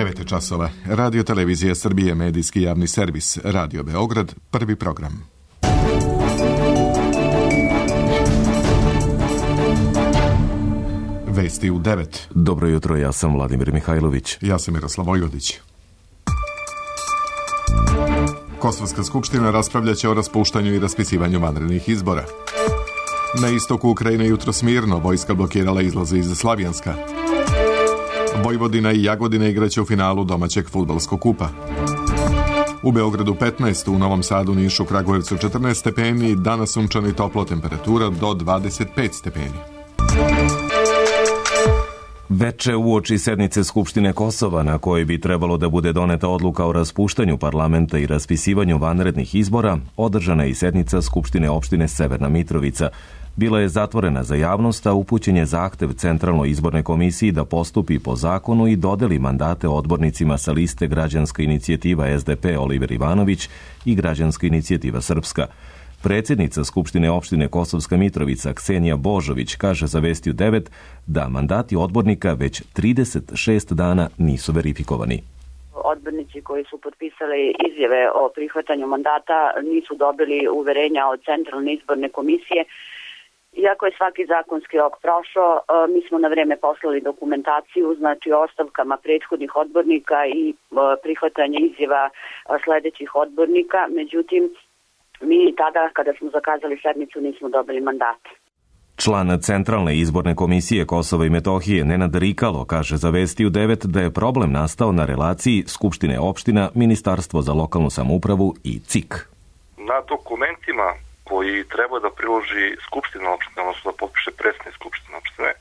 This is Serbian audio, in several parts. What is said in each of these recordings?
9 časova. Radio Televizija Srbije, medijski javni servis. Radio Beograd, prvi program. Vesti u 9. Dobro jutro, ja sam Vladimir Mihajlović. Ja sam Miroslav Vojvodić. Kosovska skupština raspravljaće o raspuštanju i raspisivanju vanrednih izbora. Na istoku Ukrajine jutros mirno, vojska blokirala izlaze iz Slavjanska. Vojvodina i Jagodina igraće u finalu domaćeg fudbalskog kupa. U Beogradu 15, u Novom Sadu, Nišu, Kragujevcu 14 stepeni, danas sunčano i toplo, temperatura do 25 stepeni. Veče uoči sednice Skupštine Kosova, na kojoj bi trebalo da bude doneta odluka o raspuštanju parlamenta i raspisivanju vanrednih izbora, održana je i sednica Skupštine opštine Severna Mitrovica. Bila je zatvorena za javnost, a upućen je zahtev Centralnoj izbornoj komisiji da postupi po zakonu i dodeli mandate odbornicima sa liste Građanska inicijativa SDP Oliver Ivanović i Građanska inicijativa Srpska. Predsjednica Skupštine opštine Kosovska Mitrovica Ksenija Božović kaže za Vesti u 9 da mandati odbornika već 36 dana nisu verifikovani. Odbornici koji su potpisali izjave o prihvatanju mandata nisu dobili uverenja od Centralne izborne komisije. Iako je svaki zakonski rok prošao, mi smo na vreme poslali dokumentaciju, znači o ostavkama prethodnih odbornika i prihvatanje izjava sledećih odbornika. Međutim, mi tada, kada smo zakazali sednicu, nismo dobili mandate. Član Centralne izborne komisije Kosova i Metohije Nenad Rikalo kaže za Vesti u 9 da je problem nastao na relaciji Skupštine opština, Ministarstvo za lokalnu samoupravu i CIK. Na dokumentima koji treba da priloži Skupština opštine, odnosno da potpiše predsjednik Skupštine opštine,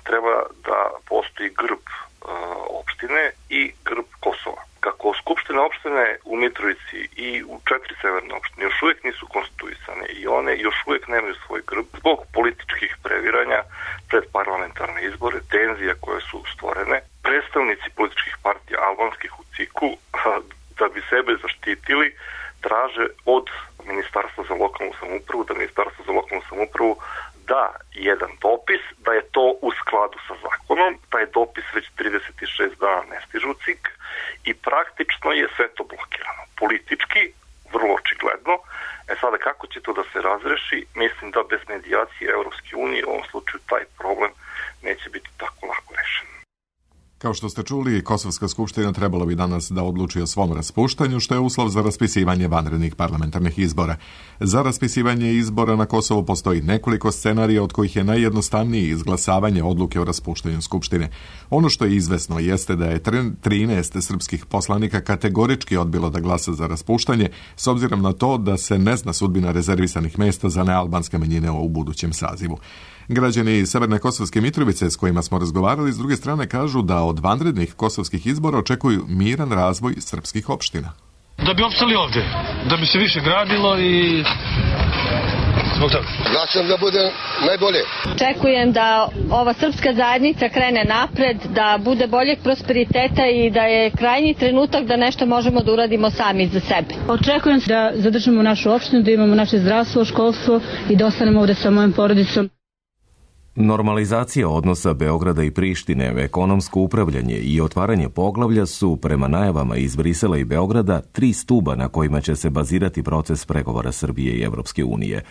treba da postoji grb opštine i grb Kosova. Kako Skupštine opštine u Mitrovici i u 4 severne opštine još uvijek nisu konstituisane i one još uvijek nemaju svoj grb zbog političkih previranja pred parlamentarne izbore, tenzija koje su stvorene, predstavnici političkih partija albanskih u CIK-u da bi sebe zaštitili traže od Ministarstva za lokalnu samoupravu, da Ministarstvo za lokalnu samoupravu da jedan dopis, da je to u skladu sa zakonom, taj dopis već 36 dana ne stiže u CIK i praktično je sve to blokirano. Politički, vrlo očigledno. Sada kako će to da se razreši, mislim da bez medijacije Evropske unije u ovom slučaju taj problem neće biti tako lako rešen. Kao što ste čuli, Kosovska skupština trebalo bi danas da odluči o svom raspuštanju, što je uslov za raspisivanje vanrednih parlamentarnih izbora. Za raspisivanje izbora na Kosovu postoji nekoliko scenarija, od kojih je najjednostavniji izglasavanje odluke o raspuštanju skupštine. Ono što je izvesno jeste da je 13 srpskih poslanika kategorički odbilo da glasa za raspuštanje, s obzirom na to da se ne zna sudbina rezervisanih mesta za nealbanske manjine u budućem sazivu. Građani Severne Kosovske Mitrovice s kojima smo razgovarali s druge strane kažu da od vanrednih kosovskih izbora očekuju miran razvoj srpskih opština. Da bi opstali ovde, da bi se više gradilo i zbog toga. Glasam da bude najbolje. Očekujem da ova srpska zajednica krene napred, da bude boljeg prosperiteta i da je krajnji trenutak da nešto možemo da uradimo sami za sebe. Očekujem da zadržimo našu opštinu, da imamo naše zdravstvo, školstvo i da ostanemo ovde sa mojom porodicom. Normalizacija odnosa Beograda i Prištine, ekonomsko upravljanje i otvaranje poglavlja su, prema najavama iz Brisela i Beograda, 3 stuba na kojima će se bazirati proces pregovora Srbije i Evropske unije.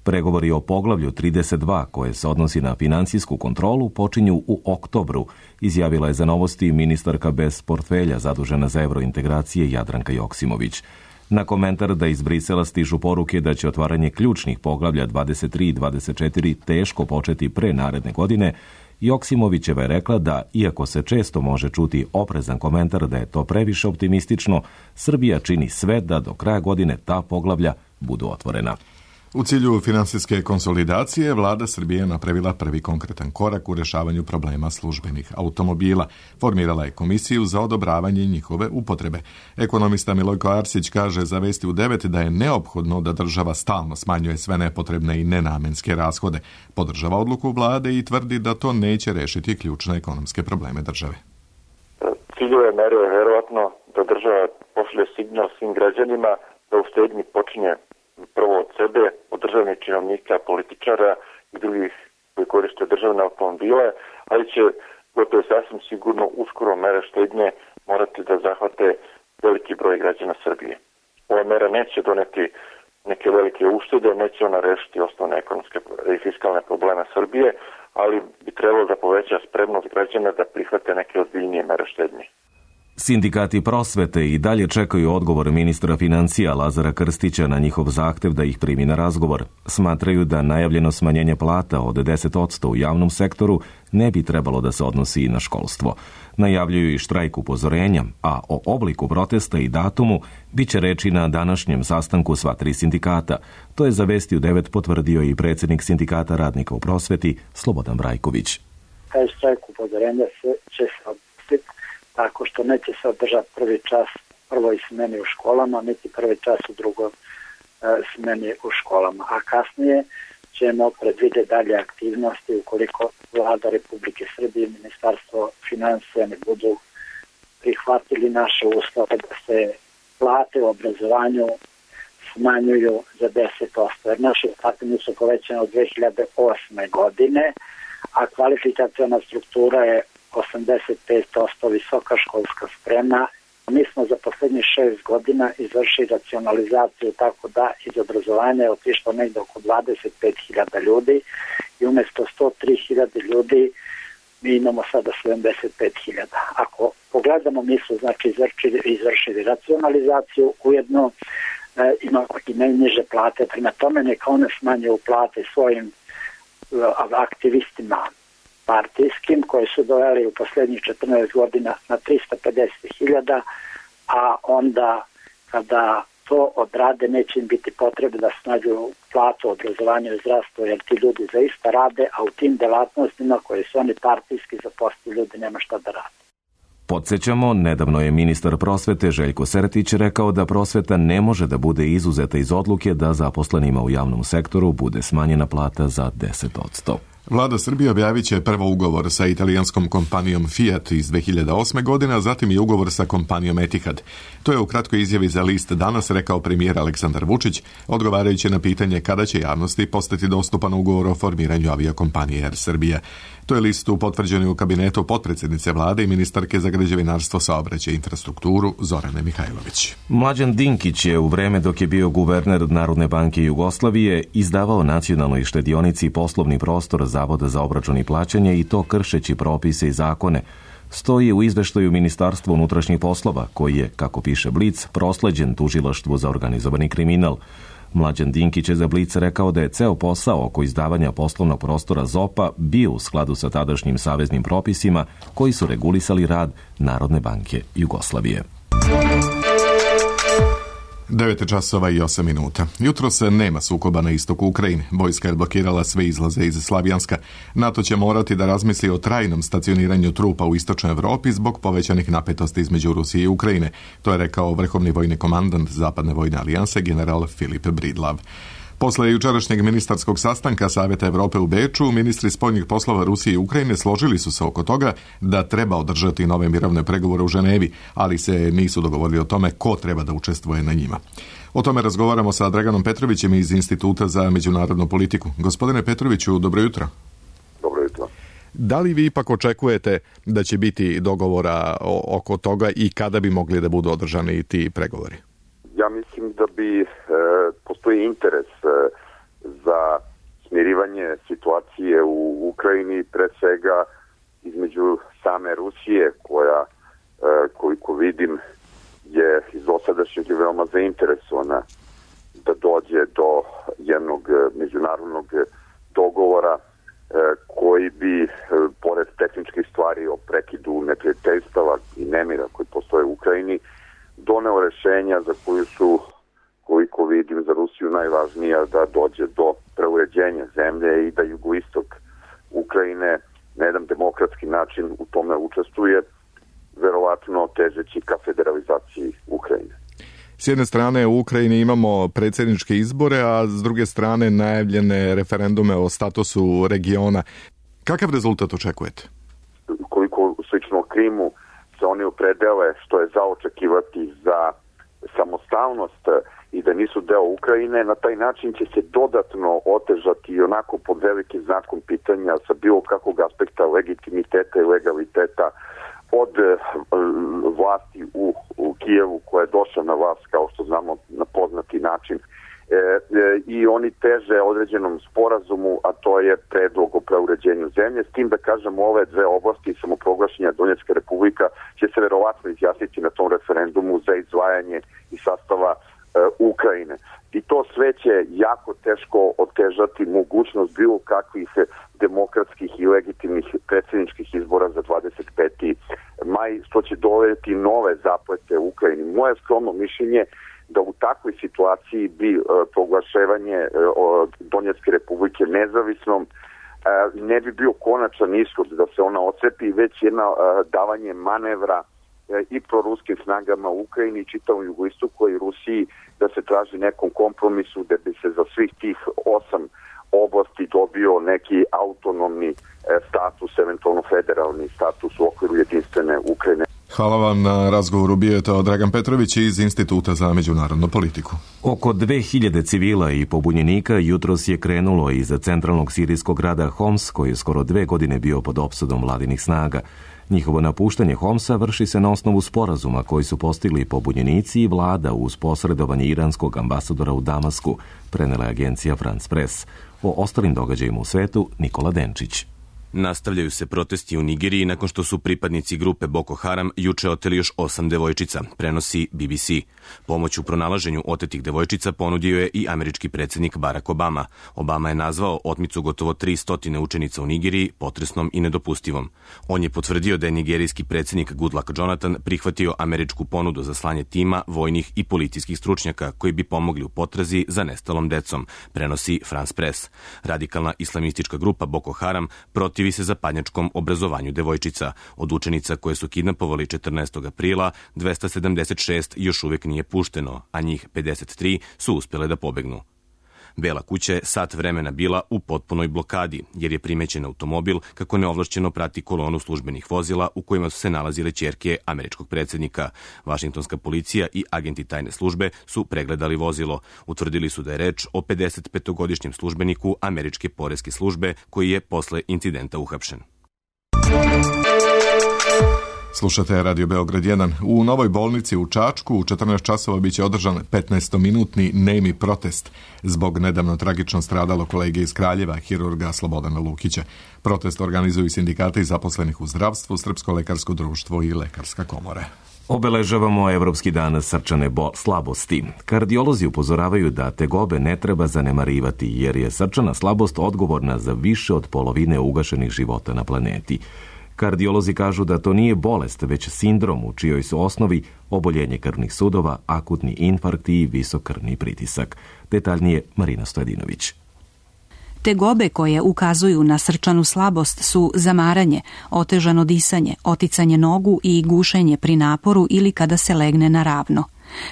Pregovori o poglavlju 32, koje se odnosi na finansijsku kontrolu, počinju u oktobru, izjavila je za Novosti ministarka bez portfelja zadužena za evrointegracije Jadranka Joksimović. Na komentar da iz Brisela stižu poruke da će otvaranje ključnih poglavlja 23 i 24 teško početi pre naredne godine, Joksimovićeva je rekla da, iako se često može čuti oprezan komentar da je to previše optimistično, Srbija čini sve da do kraja godine ta poglavlja budu otvorena. U cilju finansijske konsolidacije, vlada Srbije je napravila prvi konkretan korak u rešavanju problema službenih automobila. Formirala je komisiju za odobravanje njihove upotrebe. Ekonomista Milojko Arsić kaže za Vesti u 9 da je neophodno da država stalno smanjuje sve nepotrebne i nenamenske rashode. Podržava odluku vlade i tvrdi da to neće rešiti ključne ekonomske probleme države. Ciljeve mere je verovatno da država pošalje signal svim građanima da u štednji počinje prvo od sebe, od državnih činovnika, političara i drugih koji koriste državne automobile, ali će gotovo sasvim sigurno uskoro mere štednje morati da zahvate veliki broj građana Srbije. Ova mera neće doneti neke velike uštede, neće ona rešiti osnovne ekonomske i fiskalne probleme Srbije, ali bi trebalo da poveća spremnost građana da prihvate neke ozbiljnije mere štednje. Sindikati prosvete i dalje čekaju odgovor ministra financija Lazara Krstića na njihov zahtev da ih primi na razgovor. Smatraju da najavljeno smanjenje plata od 10% u javnom sektoru ne bi trebalo da se odnosi i na školstvo. Najavljuju i štrajk upozorenja, a o obliku protesta i datumu bit će reči na današnjem sastanku sva tri sindikata. To je za Vesti u 9 potvrdio i predsjednik Sindikata radnika u prosveti Slobodan Brajković. Taj štrajk upozorenja će se odnositi tako što neće se održati prvi čas prvoj smeni u školama, niti prvi čas u drugoj smeni u školama. A kasnije ćemo predvidjeti dalje aktivnosti ukoliko Vlada Republike Srbije i Ministarstvo financija ne budu prihvatili naše uslove da se plate u obrazovanju smanjuju za 10%. Jer naše plate nisu povećane od 2008. godine, a kvalifikaciona struktura je 85% visoka školska sprema. Mi smo za posljednjih 6 godina izvršili racionalizaciju tako da iz obrazovanja je otišlo negdje oko 25.000 ljudi i umjesto 103.000 ljudi mi imamo sada 75.000. Ako pogledamo, mi smo znači izvršili racionalizaciju, ujedno imamo i najniže plate, prema tome neka one smanjuju plate svojim aktivistima partijskim koji su doveli u posljednjih 14 godina na 350.000, a onda kada to odrade neće im biti potrebe da smanjuju platu, obrazovanje i zdravstvo, jer ti ljudi zaista rade, a u tim delatnostima koje su oni partijski zaposlili ljudi nema šta da rade. Podsjećamo, nedavno je ministar prosvete Željko Sertić rekao da prosveta ne može da bude izuzeta iz odluke da zaposlenima u javnom sektoru bude smanjena plata za 10%. Vlada Srbije objavit će prvo ugovor sa italijanskom kompanijom Fiat iz 2008. godine, a zatim i ugovor sa kompanijom Etihad. To je u kratkoj izjavi za list Danas rekao premijer Aleksandar Vučić, odgovarajući na pitanje kada će javnosti postati dostupan ugovor o formiranju avijakompanije Air Srbija. To je listu potvrđen u kabinetu potpredsjednice vlade i ministarke za građevinarstvo, saobraćaj i infrastrukturu Zorane Mihajlović. Mlađan Dinkić je u vreme dok je bio guverner Narodne banke Jugoslavije izdavao nacionalnoj štedionici poslovni prostor Zavoda za obračun i plaćanje i to kršeći propise i zakone. Stoji u izveštaju Ministarstva unutrašnjih poslova, koji je, kako piše Blic, prosleđen tužilaštvu za organizovani kriminal. Mlađan Dinkić je za Blic rekao da je ceo posao oko izdavanja poslovnog prostora ZOP-a bio u skladu sa tadašnjim saveznim propisima koji su regulisali rad Narodne banke Jugoslavije. 9:08. Jutro se nema sukoba na istoku Ukrajine. Vojska je blokirala sve izlaze iz Slavjanska. NATO će morati da razmisli o trajnom stacioniranju trupa u istočnoj Evropi zbog povećanih napetosti između Rusije i Ukrajine. To je rekao vrhovni vojni komandant Zapadne vojne alijanse general Filip Bridlav. Posle jučerašnjeg ministarskog sastanka Saveta Evrope u Beču, ministri spoljnih poslova Rusije i Ukrajine složili su se oko toga da treba održati nove mirovne pregovore u Ženevi, ali se nisu dogovorili o tome ko treba da učestvuje na njima. O tome razgovaramo sa Draganom Petrovićem iz Instituta za međunarodnu politiku. Gospodine Petroviću, dobro jutro. Dobro jutro. Da li vi ipak očekujete da će biti dogovora oko toga i kada bi mogli da budu održani ti pregovori? Ja mislim da bi postoji interes za smirivanje situacije u Ukrajini, pre svega između same Rusije, koja, koliko vidim, je iz dosadašnjeg veoma zainteresovana da dođe do jednog međunarodnog dogovora koji bi, pored tehničkih stvari o prekidu neprijateljstava i nemira koji postoje u Ukrajini, doneo rešenja za koju su, koliko vidim, za Rusiju najvažnija da dođe do preuređenja zemlje i da jugoistok Ukrajine na jedan demokratski način u tome učestvuje, verovatno težeći ka federalizaciji Ukrajine. S jedne strane u Ukrajini imamo predsjedničke izbore, a s druge strane najavljene referendume o statusu regiona. Kakav rezultat očekujete? Koliko slično Krimu se oni opredele, što je za očekivati za samostalnost i da nisu deo Ukrajine, na taj način će se dodatno otežati i onako pod velikim znakom pitanja sa bilo kakvog aspekta legitimiteta i legaliteta od vlasti u Kijevu koja je došla na vlast, kao što znamo, na poznati način. I oni teže određenom sporazumu, a to je predlog o preuređenju zemlje, s tim da kažem ove dve oblasti samoproglašenja Donjecka republika će se verovatno izjasniti na tom referendumu za izdvajanje iz sastava Ukrajine. I to sve će jako teško otežati mogućnost bilo kakvih demokratskih i legitimnih predsjedničkih izbora za 25. maj, što će dovesti nove zaplete u Ukrajini. Moje skromno mišljenje da u takvoj situaciji bi proglašavanje Donjecke republike nezavisnom ne bi bio konačan ishod da se ona ocepi, već jedna davanje manevra i proruskim snagama u Ukrajini i čitavom jugoistoku i Rusiji da se traži nekom kompromisu da bi se za svih tih 8 oblasti dobio neki autonomni status, eventualno federalni status u okviru jedinstvene Ukrajine. Hvala vam na razgovoru. Bio je to Dragan Petrović iz Instituta za međunarodnu politiku. Oko 2000 civila i pobunjenika jutros je krenulo iz centralnog sirijskog grada Homs, koji je skoro 2 godine bio pod opsadom vladinih snaga. Njihovo napuštanje Homsa vrši se na osnovu sporazuma koji su postigli pobunjenici i vlada uz posredovanje iranskog ambasadora u Damasku, prenela je agencija France Press. O ostalim događajima u svetu Nikola Denčić. Nastavljaju se protesti u Nigeriji nakon što su pripadnici grupe Boko Haram juče oteli još 8 devojčica, prenosi BBC. Pomoć u pronalaženju otetih devojčica ponudio je i američki predsjednik Barack Obama. Obama je nazvao otmicu gotovo 300 učenica u Nigeriji potresnom i nedopustivom. On je potvrdio da je nigerijski predsjednik Goodluck Jonathan prihvatio američku ponudu za slanje tima vojnih i policijskih stručnjaka koji bi pomogli u potrazi za nestalom decom, prenosi France Press. Radikalna islamistička grupa Boko Haram protivi se zapadnjačkom obrazovanju devojčica. Od učenica koje su kidnapovali 14. aprila, 276 još uvijek nije pušteno, a njih 53 su uspjele da pobegnu. Bela kuća je sat vremena bila u potpunoj blokadi, jer je primećen automobil kako neovlašćeno prati kolonu službenih vozila u kojima su se nalazile ćerke američkog predsjednika. Vašingtonska policija i agenti tajne službe su pregledali vozilo. Utvrdili su da je reč o 55-godišnjem službeniku američke poreske službe koji je posle incidenta uhapšen. Slušate Radio Beograd 1. U novoj bolnici u Čačku u 14 časova biće održan 15-minutni nemi protest zbog nedavno tragično stradalo kolege iz Kraljeva, hirurga Slobodana Lukića. Protest organizuju sindikati zaposlenih u zdravstvu, Srpsko lekarsko društvo i Lekarska komora. Obeležavamo Evropski dan srčane slabosti. Kardiolozi upozoravaju da tegobe ne treba zanemarivati, jer je srčana slabost odgovorna za više od polovine ugašenih života na planeti. Kardiolozi kažu da to nije bolest, već sindrom u čijoj su osnovi oboljenje krvnih sudova, akutni infarkt i visok krvni pritisak. Detaljnije Marina Stojadinović. Tegobe koje ukazuju na srčanu slabost su zamaranje, otežano disanje, oticanje nogu i gušenje pri naporu ili kada se legne na ravno.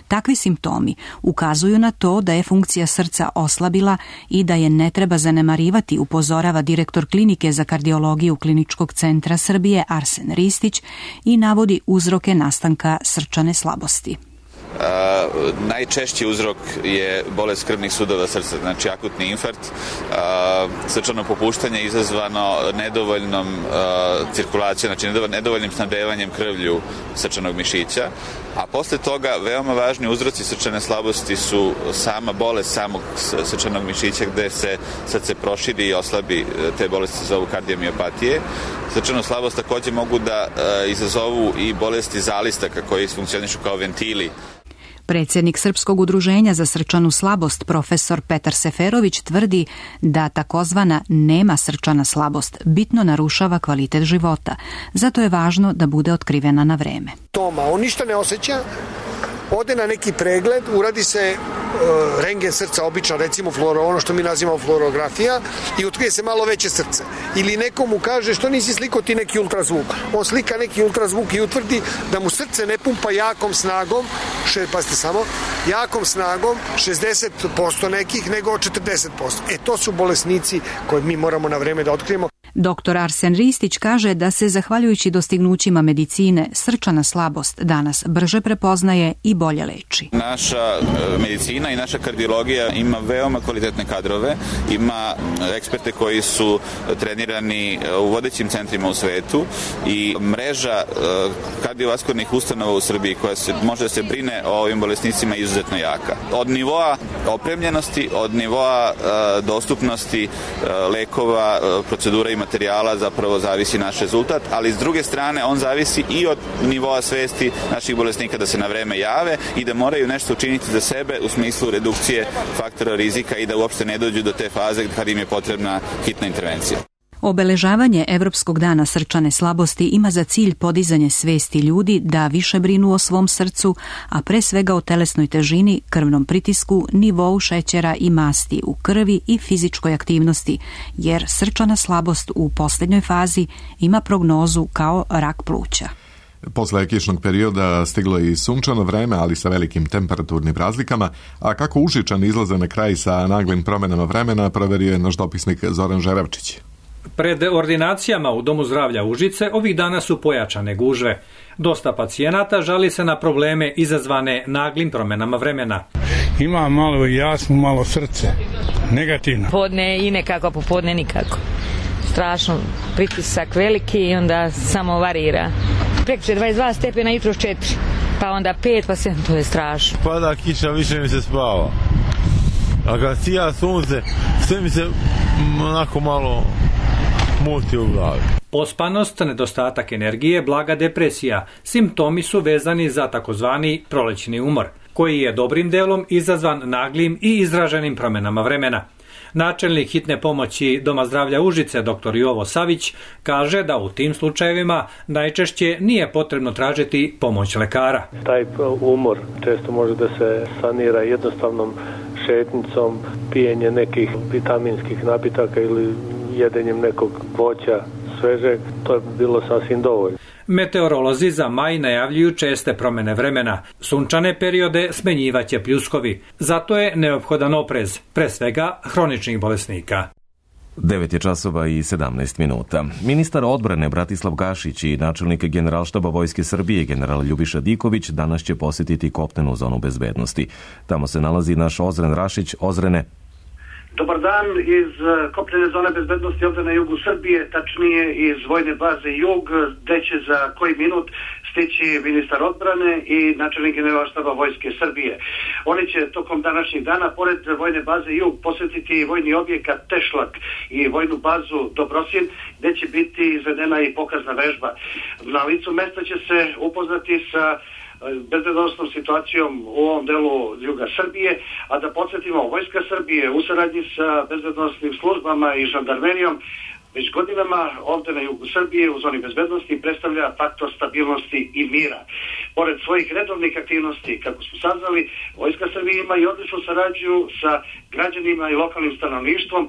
Takvi simptomi ukazuju na to da je funkcija srca oslabila i da je ne treba zanemarivati, upozorava direktor klinike za kardiologiju Kliničkog centra Srbije Arsen Ristić i navodi uzroke nastanka srčane slabosti. Najčešći uzrok je bolest krvnih sudova srca, znači akutni infarkt, srčano popuštanje izazvano nedovoljnom cirkulacijom, znači nedovoljnim snabdevanjem krvlju srčanog mišića, a posle toga veoma važni uzroci srčane slabosti su sama bolest samog srčanog mišića gde se srce proširi i oslabi, te bolesti se zovu kardiomiopatije. Srčanu slabost takođe mogu da izazovu i bolesti zalistaka koji funkcionišu kao ventili. Predsjednik Srpskog udruženja za srčanu slabost, profesor Petar Seferović, tvrdi da takozvana nema srčana slabost bitno narušava kvalitet života. Zato je važno da bude otkrivena na vreme. On ništa ne osjeća, ode na neki pregled, uradi se rentgen srca, obično recimo ono što mi nazivamo fluorografija, i otkrije se malo veće srce. Ili nekomu kaže što nisi slikao ti neki ultrazvuk. On slika neki ultrazvuk i utvrdi da mu srce ne pumpa jakom snagom, jakom snagom 60% nekih nego 40%. To su bolesnici koje mi moramo na vreme da otkrijemo. Dr. Arsen Ristić kaže da se, zahvaljujući dostignućima medicine, srčana slabost danas brže prepoznaje i bolje leči. Naša medicina i naša kardiologija ima veoma kvalitetne kadrove, ima eksperte koji su trenirani u vodećim centrima u svetu i mreža kardiovaskularnih ustanova u Srbiji koja može da se brine o ovim bolesnicima izuzetno jaka. Od nivoa opremljenosti, od nivoa dostupnosti lekova, procedura i materijala zapravo zavisi naš rezultat, ali s druge strane on zavisi i od nivoa svesti naših bolesnika da se na vreme jave i da moraju nešto učiniti za sebe u smislu redukcije faktora rizika i da uopšte ne dođu do te faze kad im je potrebna hitna intervencija. Obeležavanje Evropskog dana srčane slabosti ima za cilj podizanje svesti ljudi da više brinu o svom srcu, a pre svega o telesnoj težini, krvnom pritisku, nivou šećera i masti u krvi i fizičkoj aktivnosti, jer srčana slabost u posljednjoj fazi ima prognozu kao rak pluća. Posle kišnog perioda stiglo i sunčano vreme, ali sa velikim temperaturnim razlikama, a kako Užičani izlaze na kraj sa naglim promenama vremena, proverio je naš dopisnik Zoran Žerevčić. Pred ordinacijama u Domu zdravlja Užice ovih dana su pojačane gužve. Dosta pacijenata žali se na probleme izazvane naglim promenama vremena. Ima malo jasno, malo srce. Negativno. Podne i nekako, popodne nikako. Strašno, pritisak veliki i onda samo varira. Prekjuče 22 stepena, jutros 4, pa onda 5, pa 7, to je strašno. Pada kiša, više mi se spava. A kad sija sunce, sve mi se onako malo muti u glavi. Pospanost, nedostatak energije, blaga depresija. Simptomi su vezani za takozvani prolećni umor, koji je dobrim delom izazvan naglim i izraženim promenama vremena. Načelnik hitne pomoći Doma zdravlja Užice, dr. Jovo Savić, kaže da u tim slučajevima najčešće nije potrebno tražiti pomoć lekara. Taj umor često može da se sanira jednostavnom šetnicom, pijenje nekih vitaminskih napitaka ili jedenjem nekog voća svežeg, to je bilo sasvim dovoljno. Meteorolozi za maj najavljuju česte promene vremena. Sunčane periode smenjivaće pljuskovi. Zato je neophodan oprez, pre svega hroničnih bolesnika. 9:17. Ministar odbrane Bratislav Gašić i načelnik Generalštaba Vojske Srbije general Ljubiša Diković danas će posjetiti kopnenu zonu bezbednosti. Tamo se nalazi naš Ozren Rašić. Ozrene. Dobar dan iz kopnene zone bezbednosti ovdje na jugu Srbije, tačnije iz vojne baze Jug, gde će za koji minut stići ministar odbrane i načelnik Generalštaba Vojske Srbije. Oni će tokom današnjeg dana, pored vojne baze Jug, posjetiti vojni objekat Tešlak i vojnu bazu Dobrosin, gde će biti izvedena i pokazna vežba. Na licu mesta će se upoznati sa bezbednosnom situacijom u ovom delu juga Srbije, a da podsjetimo, Vojska Srbije u saradnji sa bezbednosnim službama i žandarmerijom već godinama ovdje na jugu Srbije u zoni bezbednosti predstavlja faktor stabilnosti i mira. Pored svojih redovnih aktivnosti, kako smo saznali, Vojska Srbije ima i odličnu saradnju sa građanima i lokalnim stanovništvom,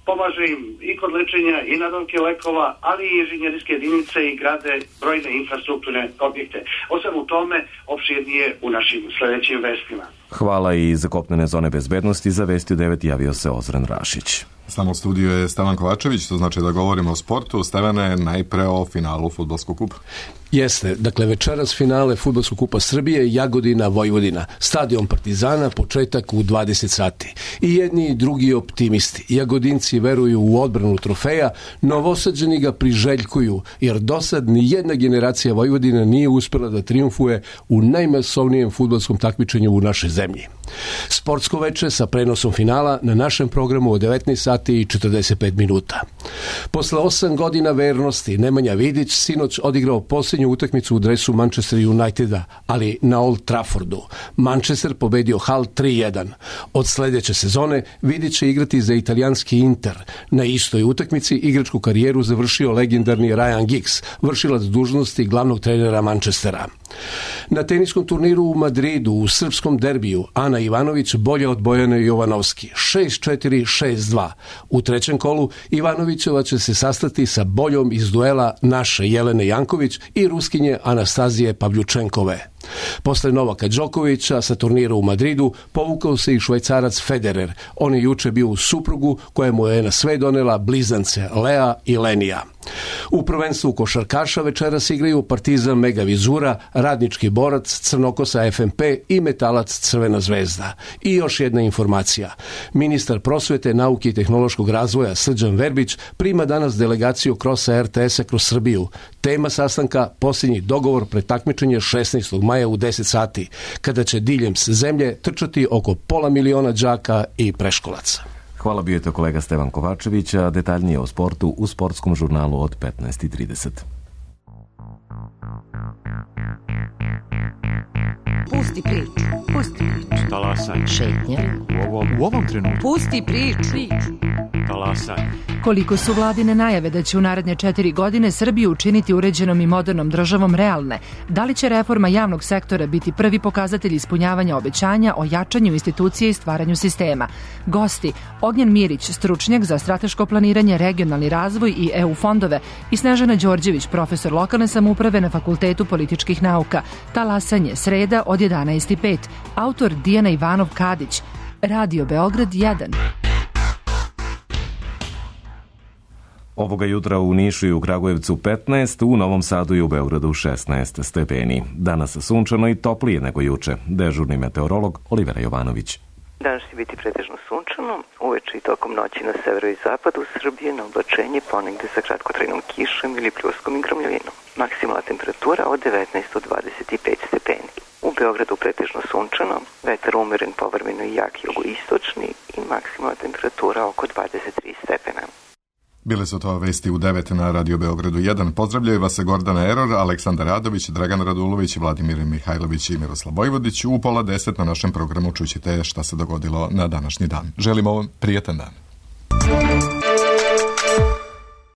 pomaže im i kod lečenja i nabavke lekova, ali i inženjerijske jedinice i grade brojne infrastrukturne objekte. Osim u tome, opširnije u našim sljedećim vestima. Hvala i za kopnene zone bezbednosti. Za Vesti 9 javio se Ozren Rašić. S nama u studiju je Stevan Kovačević, to znači da govorimo o sportu. Stevane, najpre o finalu fudbalskog kupa. Jeste, dakle večeras finale fudbalskog kupa Srbije, Jagodina, Vojvodina, stadion Partizana, početak u 20 sati. I jedni i drugi optimisti. Jagodinci veruju u odbranu trofeja, Novosađani ga priželjkuju, jer dosad ni jedna generacija Vojvodina nije uspela da triumfuje u najmasovnijem fudbalskom takmičenju u našoj zemlji. Sportsko veče sa prenosom finala na našem programu od 19 sati i 45 minuta. Posle 8 godina vernosti, Nemanja Vidić sinoć odigrao posljednju utakmicu u dresu Manchester Uniteda, ali na Old Traffordu. Manchester pobedio Hull 3-1. Od sljedeće sezone Vidić će igrati za italijanski Inter. Na istoj utakmici igračku karijeru završio legendarni Ryan Giggs, vršilac dužnosti glavnog trenera Manchestera. Na teniskom turniru u Madridu u srpskom derbiju Ana Ivanović bolje od Bojane Jovanovski 6-4, 6-2. U trećem kolu Ivanovićeva će se sastati sa boljom iz duela naše Jelene Janković i Ruskinje Anastazije Pavljučenkove. Posle Novaka Đokovića sa turnira u Madridu povukao se i Švajcarac Federer. On je juče bio u suprugu kojemu je na sve donela blizance Lea i Lenija. U prvenstvu košarkaša večeras igraju Partizan Mega Vizura, Radnički Borac, Crnokosa FNP i Metalac Crvena zvezda. I još jedna informacija. Ministar prosvete, nauke i tehnološkog razvoja Srđan Verbić prima danas delegaciju krosa RTS-a kroz Srbiju. Tema sastanka posljednji dogovor pred takmičenje 16. maja u 10 sati, kada će diljem zemlje trčati oko 500.000 đaka i preškolaca. Hvala, bio je to kolega Stevan Kovačević, a detaljnije o sportu u sportskom žurnalu od 15:30. Pusti priču. Pusti priču. Talasaj. Šetnja. U ovom trenutku. Pusti priču. Talasaj. Koliko su vladine najave da će u naredne 4 godine Srbiju učiniti uređenom i modernom državom realne? Da li će reforma javnog sektora biti prvi pokazatelj ispunjavanja obećanja o jačanju institucije i stvaranju sistema? Gosti: Ognjen Mirić, stručnjak za strateško planiranje, regionalni razvoj i EU fondove, i Snežana Đorđević, profesor lokalne samouprave na Fakultetu političkih nauka. Talasanje, sreda od 11:05. Autor Dijana Ivanov Kadić. Radio Beograd 1. Ovoga jutra u Nišu i u Kragujevcu 15, u Novom Sadu i u Beogradu 16 stepeni. Danas sunčano i toplije nego juče. Dežurni meteorolog Olivera Jovanović. Danas će biti pretežno sunčano, uveče i tokom noći na severu i zapadu Srbije na oblačenje ponegde sa kratkotrajnom kišom ili pljuskom i gromljovinom. Maksimalna temperatura od 19 do 25 stepeni. U Beogradu pretežno sunčano, vetar umeren, povremeno i jak jugoistočni i maksimalna temperatura oko 23 stepena. Bile su to vesti u 9 na Radio Beogradu 1. Pozdravljaju vas Gordana Eror, Aleksandar Radović, Dragan Radulović, Vladimir Mihajlović i Miroslav Vojvodić. U 9:30 na našem programu čućete šta se dogodilo na današnji dan. Želimo vam prijetan dan.